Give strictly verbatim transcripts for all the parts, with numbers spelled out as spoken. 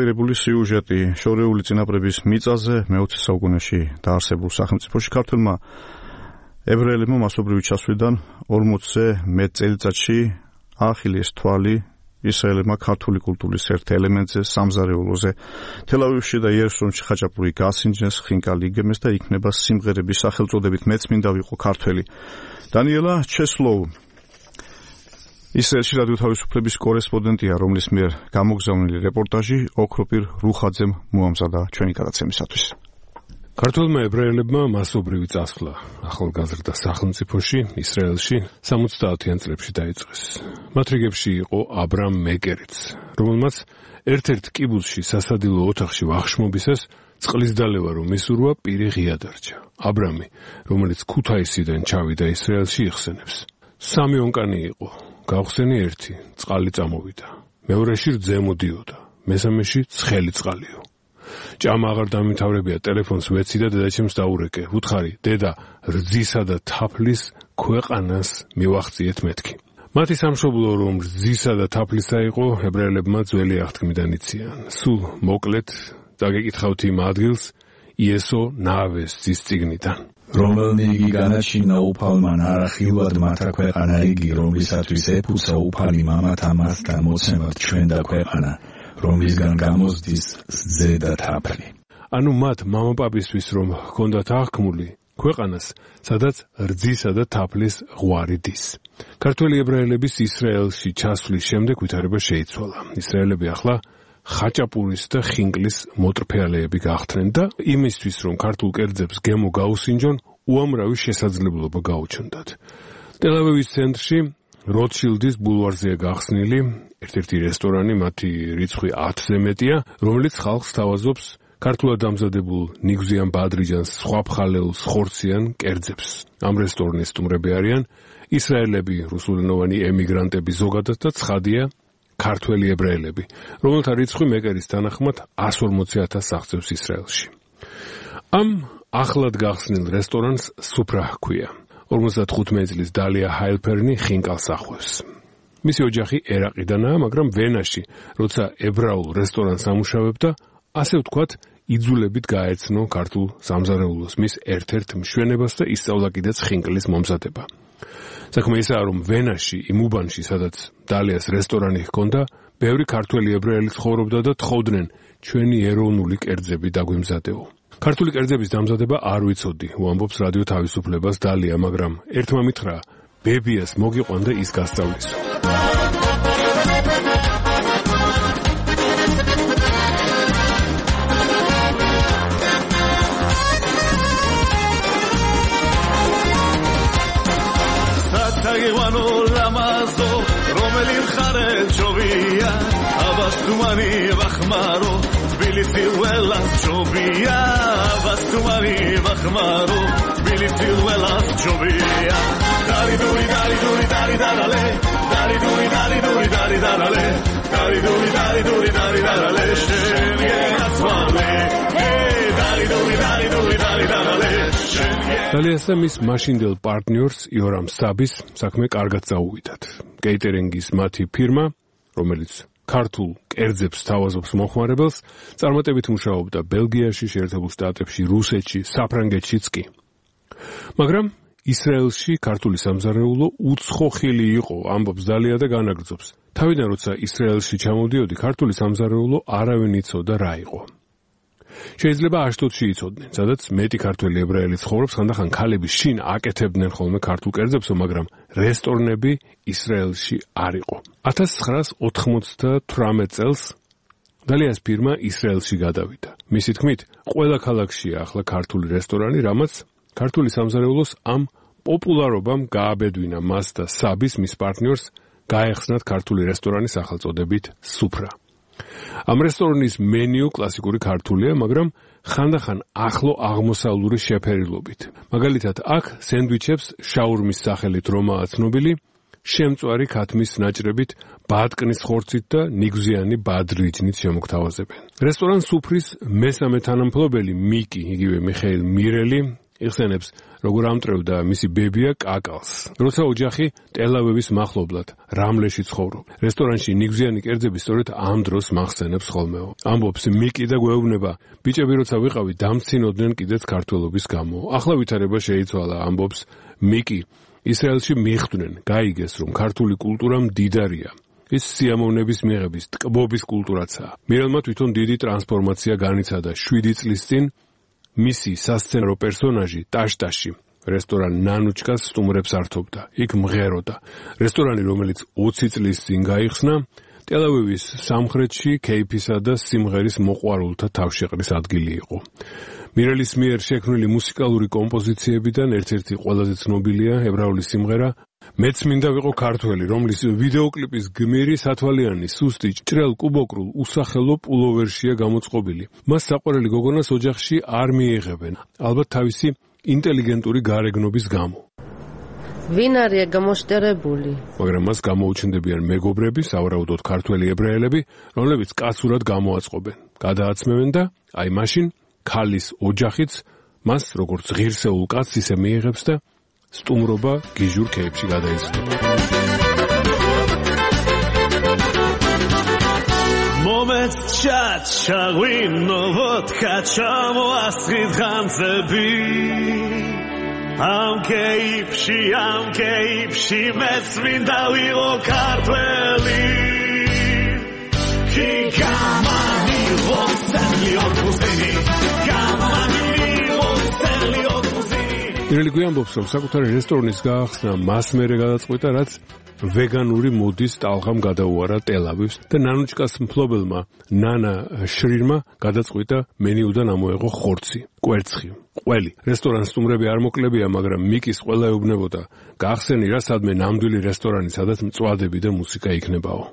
ერებული სიუჟეტი შორეული წინაპრების მიწაზე მეოცე საუკუნეში დაარსებულ სახელმწიფოში ქართველმა ებრაელებმა მასობრივი ჩასვლიდან ორმოცზე მეტ წელიწადში აახილეს თვალი ისრაელებმა ქართული კულტურის ერთ ელემენტზე, სამზარეულოზე. თელ-ავივში და იერუსალიმში ხაჭაპური გასინჯეს, ხინკალი იგემეს და იქნება სიმღერების სახელწოდებით მეც მინდა ვიყო ქართველი. დანიელა ჩესლოუ ისრაელში რადიო თავისუფლების კორესპონდენტია, რომლის მიერ გამოგზავნილი რეპორტაჟი ოქროპირ რუხაძემ მოამზადა ჩვენი გადაცემისათვის. ქართველმა ებრაელებმა მასობრივი წასვლა ახალგაზრდა სახელმწიფოში, ისრაელში სამოცდაათიან წლებში დაიწყეს. მათ რიგებში იყო აბრამ მეკერიც, რომელმაც ერთ-ერთ კიბუცში სასადილო ოთახში ვახშმობისას წყლის დალევა რომ მისურვა პირი ღია დარჩა. აბრამი, რომელიც ქუთაისიდან ჩავიდა ისრაელში იხსენებს. სამი ონკანი იყო, გავხსენი ერთი, წყალი წამოვიდა. მეორეში რძე მოდიოდა, მესამეში ცხელი წყალიო. ჭამა აღარ დამიმთავრებია, ტელეფონს ვეცი და დედაჩემს დაურეკე. უთხარი, დედა, რძისა და თაფლის ქვეყანას მივახციეთ მეთქი. მათი სამშობლო რომ რძისა და თაფლისა იყო, ებრაელებმა ძველი აღთქმიდან იციან. სულ მოკლედ დაგეკითხავთ იმ ადგილს, იესო ნავეს ძის წიგნიდან. რომელნი იგი განაჩინა უფალმა ნარახილვად მათა ქვეყანა იგი, რომლისათვის ეფუცა უფალი მამათა მასთან მოცემად ჩვენ და ქვეყანა, რომლისგან გამოსდის რძე და თაფლი. ანუ მათ მამაპაპისთვის რომ ჰქონდათ აღქმული ქვეყანას, სადაც რძისა და თაფლის ღვარი დის. ქართველი ებრაელების ისრაელში ჩასვლის შემდეგ ვითარება შეიცვალა. ისრაელები ახლა ხაჭაპურის და ხინკლის მოტრფეალეები გახდნენ და იმისთვის რომ ქართულ კერძებს გემო გაუსინჯონ, უამრავი შესაძლებლობა გაუჩნდათ. ტელ-ავივის ცენტრში როტშილდის ბულვარზეა გახსნილი ერთ-ერთი რესტორანი, მათი რიცხვი ათზე მეტია, რომელიც ხალხს თავაზობს ქართულად დამზადებულ ნიგზიან ბადრიჯანს, სხვა ფხალეულს, ხორციან კერძებს. ამ რესტორნის სტუმრები არიან ისრაელები, რუსულენოვანი ემიგრანტები ზოგადად და ცხადია ქართველი ებრაელები, რომელთა რიცხვი მეკერის თანახმად εκατს ორმოცი ათასს აღწევს ისრაელში. ამ ახლად გახსნილ რესტორანს სუფრა ჰქვია. ორმოცდათხუთმეტი წლის დალია ჰაილფერნი ხინკალს ახვევს. მისი ოჯახი ერაყიდანაა, მაგრამ ვენაში, როცა ებრაულ რესტორანს ამუშავებდა, ასე ვთქვათ, იძულებით გაეცნო ქართულ სამზარეულოს, მის ერთ-ერთ მშვენებას და ისწავლა კიდეც ხინკლის მომზადება. საქმე ისაა, რომ ვენაში, იმ უბანში, სადაც დალიას რესტორანი ჰქონდა, ბევრი ქართველი ებრაელი ცხოვრობდა და თხოვდნენ ჩვენი ეროვნული კერძები დაგვიმზადეო. ქართული კერძების დამზადება არ ვიცოდი, უამბობს რადიო თავისუფლებას დალია, მაგრამ ერთმა მითხრა, ბებიას მოგიყვანდა ის გასწავლისო. Tagewano lamazo, romeli kharet chovia, abastumani vakhmaro, biliti wela chovia, abastumani vakhmaro, biliti wela chovia. Dari duri dari duri dari darale, dari duri dari duri dari darale, dari duri dari duri dari darale, sheniatvale, hey, dari duri dari duri dari darale. დალიასა მის მაშინდელ პარტნიორს იორამ საბის საქმე კარგად წაუვიდათ. კეიტერინგის მათი ფირმა, რომელიც ქართულ კერძებს თავაზობს მომხმარებელს, წარმატებით მუშაობდა ბელგიაში, შეერთებულ შტატებში, რუსეთში, საფრანგეთშიც კი. მაგრამ ისრაელში ქართული სამზარეულო უცხოხილი იყო, ამბობს დალია და განაგრძობს. თავიდან როცა ისრაელში ჩამოვდიოდი, ქართული სამზარეულო არავინ იცოდა რა იყო. შეიძლება აშტოდში იცოდნენ, სადაც მეტი ქართველი ებრაელი ცხოვრობს, ხანდახან ქალები შინ აკეთებდნენ ხოლმე ქართულ კერძებსო, მაგრამ რესტორნები ისრაელში არ იყო. ათას ცხრაას ოთხმოცდათვრამეტ წელს დალიას ფირმა ისრაელში გადავიდა. მისი თქმით, ყველა ქალაქშია ახლა ქართული რესტორანი, რამაც ქართული სამზარეულოს ამ პოპულარობამ გააბედვინა მას და საბის მის პარტნიორს გაეხსნათ ქართული რესტორანის სახელწოდებით სუფრა. ამ რესტორნის მენიუ კლასიკური ქართულია, მაგრამ ხანდახან ახლო აღმოსავლური შეფერილობით. მაგალითად, აქ სენდვიჩებს შაურმის სახელით რომაა ცნობილი, შემწვარი ქათმის ნაჭრებით, ბატკნის ხორცით და ნიგზიანი ბადრიჯნით შემოგთავაზებენ. რესტორან სუფრის მესამე თანამფლობელი მიკი, იგივე მიხეილ მირელი, იხსენებს, როგორ ამტრევდა მისი ბებია კაკალს. როცა ოჯახი ტელ-ავივის მახლობლად რამლეში ცხოვრობ. რესტორანში ნიგზიანი კერძები სწორედ ამ დროს მახსენებს ხოლმეო. ამბობს მიკი და გვეუბნება, ბიჭები როცა ვიყავი დამცინოდნენ კიდეც ქართველობის გამო. ახლა ვითარება შეიცვალა, ამბობს მიკი. ისრაელში მიხვდნენ, გაიგეს, რომ ქართული კულტურა მდიდარია. ის სიამოვნების მიღების, ტკბობის კულტურაცაა. მირელმა თვითონ დიდი ტრანსფორმაცია განიცადა შვიდი წლის წინ მისი სასცენო პერსონაჟი ტაშტაში რესტორან ნანუჩკას სტუმრებს ართობდა. იქ მღეროდა. რესტორანი, რომელიც ოცი წლის წინ გაიხსნა, ტელ-ავივის სამხრეთში ქეიფისა და სიმღერის მოყვარულთა თავშეყრის ადგილი იყო. მირელის მიერ შექმნილი მუსიკალური კომპოზიციებიდან ერთ-ერთი ყველაზე ცნობილია ებრაული სიმღერა მეც მინდა ვიყო ქართველი, რომლის ვიდეოკლიპის გმირი სათვალიანი, სუსტი, ჭრელ კუბოკრულ, usახელო პულოვერშია გამოწყობილი. მას საყვარელი გოგონას ოჯახში არ მიიღებენ, ალბათ თავისი ინტელიგენტური გარეგნობის გამო. ვინ არია გამოშტერებული? მაგრამ მას გამოუჩნდებიან მეგობრები, სავარაუდოდ ქართველი ებრაელები, რომლებიც კაცურად გამოაწყობენ. გადააცმევენ და აი მაშინ ქალის ოჯახიც მას როგორც ღირსეულ კაცს ისე მიიღებს და სტუმრობა გიჟურ ქეიფში გადაიზრდება. მომეც ჩაჩა ღვინო ვოდკა ჩამოასხით ხანძები ამ ქეიფში, ამ ქეიფში მეც მინდა ვიყო ქართველი კი გამანი ვოსელი ოფუსინი გამანი ვოსელი ოფუსინი. მირელი გვიამბობს, რომ საკუთარი რესტორნის გაახსნა მას მერე გადაწყვიტა, რაც ვეგანური მოდის ტალღამ გადაუარა ტელ-ავივს და ნანუჩკას მფლობელმა ნანა შრირმა გადაწყვიტა მენიუდან ამოეღო ხორცი, კვერცხი, ყველი. რესტორანს სტუმრები არ მოკლებია, მაგრამ მიკის ყველა ეუბნებოდა, გაახსენი რა სადმე ნამდვილი რესტორანი, სადაც მწვადები და მუსიკა იქნებაო.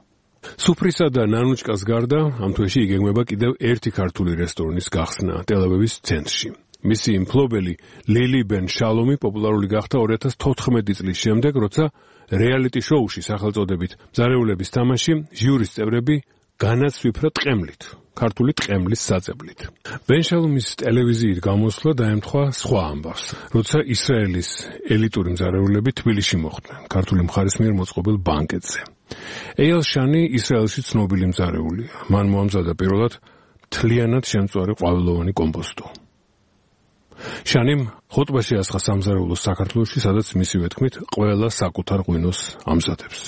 სუფრისა და ნანუჩკას გარდა ამ თვეში იგეგმება კიდევ ერთი ქართული რესტორნის გახსნა ტელ-ავივის ცენტრში. მისი მფლობელი ლილი ბენ შალომი პოპულარული გახდა ორი ათას თოთხმეტი წლის შემდეგ, როცა რეალიტი შოუში სახელწოდებით მზარეულების თამაში ჟიურის წევრები განაცვიფრა ტყემლით, ქართული ტყემლის საწებლით. ბენ შალომის ტელევიზიით გამოსვლა დაემთხვა სხვა ამბავს, როცა ისრაელის ელიტური მზარეულები თბილისში მოხვდნენ, ქართული მხარის მიერ მოწყობილ ბანკეტზე. ეიალ შანი ისრაელში ცნობილი მზარეულია. მან მოამზადა პირველად მთლიანად შემწვარი ყვავილოვანი კომპოსტო. შანიმ ხოტბაში ასხა სამზარეულოს საქართველოში, სადაც მისივე თქმით ყველა საკუთარ ღვინოს ამზადებს.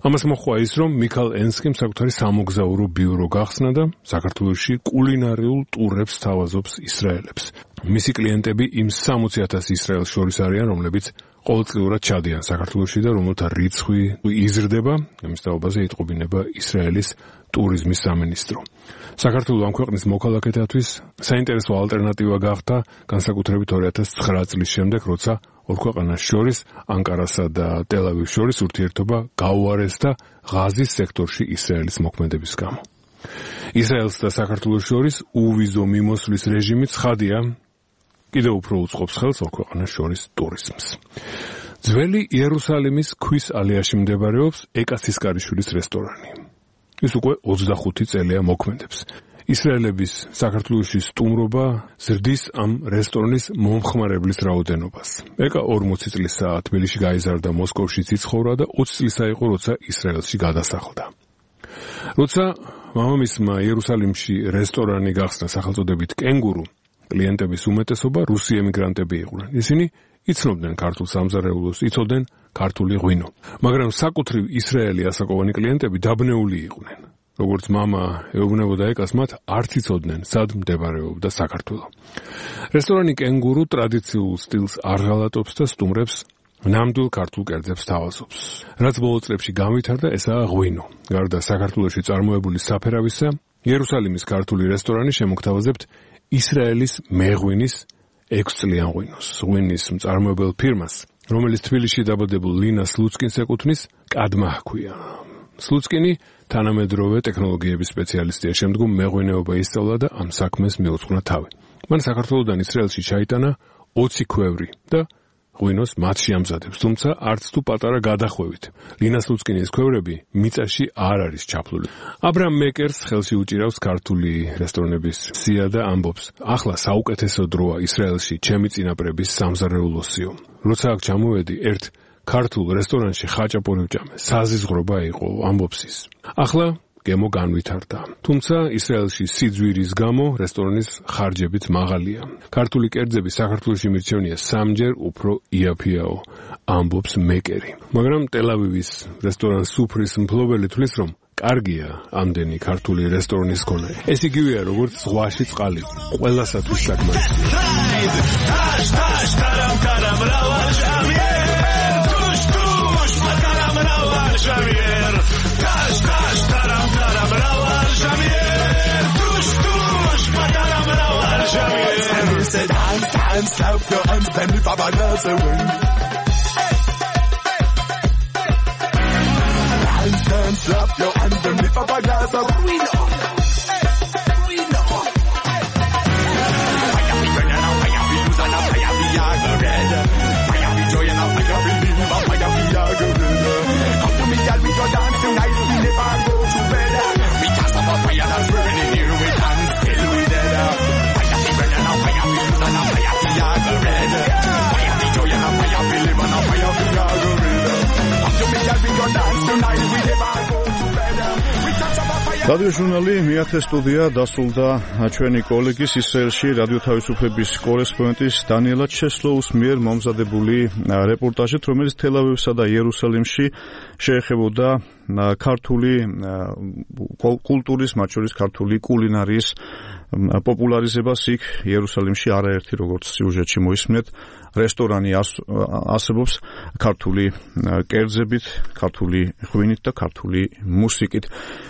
ამას მოჰყვა ის, რომ მიქალ ენსკიმ საკუთარი სამოგზაურო ბიურო გახსნა და საქართველოში კულინარიულ ტურებს თავაზობს ისრაელებს. მისი კლიენტები იმ სამოცი ათასი ისრაელს შორის არიან, რომლებიც ყოველწლიურად ჩადიან საქართველოში და რომელთა რიცხვი იზრდება, ამის თაობაზე იტყობინება ისრაელის ტურიზმის სამინისტრო. საქართველოს ამ ქვეყნის მოქალაქეთათვის საინტერესო ალტერნატივა გახდა განსაკუთრებით ორი ათას ცხრა წლის შემდეგ, როცა ორ ქვეყანას შორის, ანკარასა და ტელ-ავივს შორის ურთიერთობა გაუარეს და ღაზის სექტორში ისრაელის მოქმედების გამო. ისრაელს და საქართველოს შორის უვიზო მიმოსვლის რეჟიმი ცხადია, კიდევ უფრო უწყობს ხელს ორ ქვეყანას შორის ტურიზმს. ძველი იერუსალიმის ქვის ალეაში მდებარეობს ეკაცისკარიშვილის რესტორანი. ის უკვე ოცდახუთი წელია მოქმედებს. ისრაელების საქართველოში სტუმრობა ზრდის ამ რესტორნის მომხმარებლის რაოდენობას. ეკა ორმოცი წლისაა თბილისში გაიზარდა, მოსკოვში იცხოვრა და ოცი წლისა იყო, როცა ისრაელში გადასახლდა. როცა მამამისმა იერუსალიმში რესტორანი გახსნა სახელწოდებით კენგურუ, კლიენტების უმეტესობა რუსი ემიგრანტები იყვნენ. ისინი იცნობდნენ ქართულ სამზარეულოს, იცოდნენ ქართული ღვინო. მაგრამ საკუთრივ ისრაელი ასაკოვანი კლიენტები დაბნეული იყვნენ. როგორც მამა ეუბნებოდა ეკას, მათ არც იცოდნენ, სად მდებარეობდა საქართველო. რესტორანი კენგურუ ტრადიციულ სტილს არ ღალატობს და სტუმრებს ნამდვილ ქართულ კერძებს თავაზობს. რაც ბოლო წლებში განვითარდა, ესაა ღვინო. გარდა საქართველოში წარმოებული საფერავისა, იერუსალიმის ქართული რესტორანი შემოგთავაზებთ ისრაელის მეღვინის ექვსწლიან ღვინოს. ღვინის მწარმოებელ ფირმას, რომელიც თბილისში დაბადებულ ლინა სლუცკინს ეკუთვნის, კადმა ჰქვია. სლუცკინი თანამედროვე ტექნოლოგიების სპეციალისტია, შემდგომ მეღვინეობა ისწავლა და ამ საქმეს მიუძღვნა თავი. მან საქართველოდან ისრაელში ჩაიტანა ოცი ქვევრი და ღვინოს მათ შეამზადებს, თუმცა არც თუ პატარა გადახვევით. ლინას ლუწკინის ქვევრები მიწაში არ არის ჩაფლული. აბრაამ მეკერს ხელში უჭირავს ქართული რესტორნების სია და ამბობს: ახლა საუკეთესო დროა ისრაელში ჩემი წინაპრების სამზარეულოსიო. როცა აქ ჩამოვედი, ერთ ქართულ რესტორანში ხაჭაპური ვჭამე. საზიზღრობა იყო, ამბობს ის. ახლა გემო განვითარდა. თუმცა ისრაელში სიძვირის გამო რესტორნის ხარჯებიც მაღალია. ქართული კერძები საქართველოში მირჩევნია სამჯერ უფრო იაფიაო, ამბობს მეკერი. მაგრამ ტელ-ავივის რესტორან სუფრის მფლობელი თვლის, რომ კარგია ამდენი ქართული რესტორნის ქონა. ეს იგივეა, როგორც ზღვაში წყალი. ყველასათვის საკმარისია. Said hands, hands, clap your hands, then lift up our hands away. Hands, hands, clap your hands, then lift up our hands away. We know, we know. Fire be burning out, fire be losing out, fire be red. Fire be joy and fire be living, fire be red. Come to me, girl, we go dance tonight, we never go to bed. We can't stop a fire that's burning here, we dance till we dead. რადიო ჟურნალი მეათე სტუდია დასრულდა ჩვენი კოლეგის ისრაელში რადიო თავისუფლების კორესპონდენტის დანიელა ჩესლოუს მიერ მომზადებული რეპორტაჟით, რომელიც თელ-ავივსა და იერუსალიმში შეეხებოდა ქართული კულტურის, მათ შორის ქართული კულინარიის პოპულარიზებას იქ იერუსალიმში. არაერთი, როგორც სიუჟეტში მოისმენთ, რესტორანი არსებობს ქართული კერძებით, ქართული ღვინით და ქართული მუსიკით.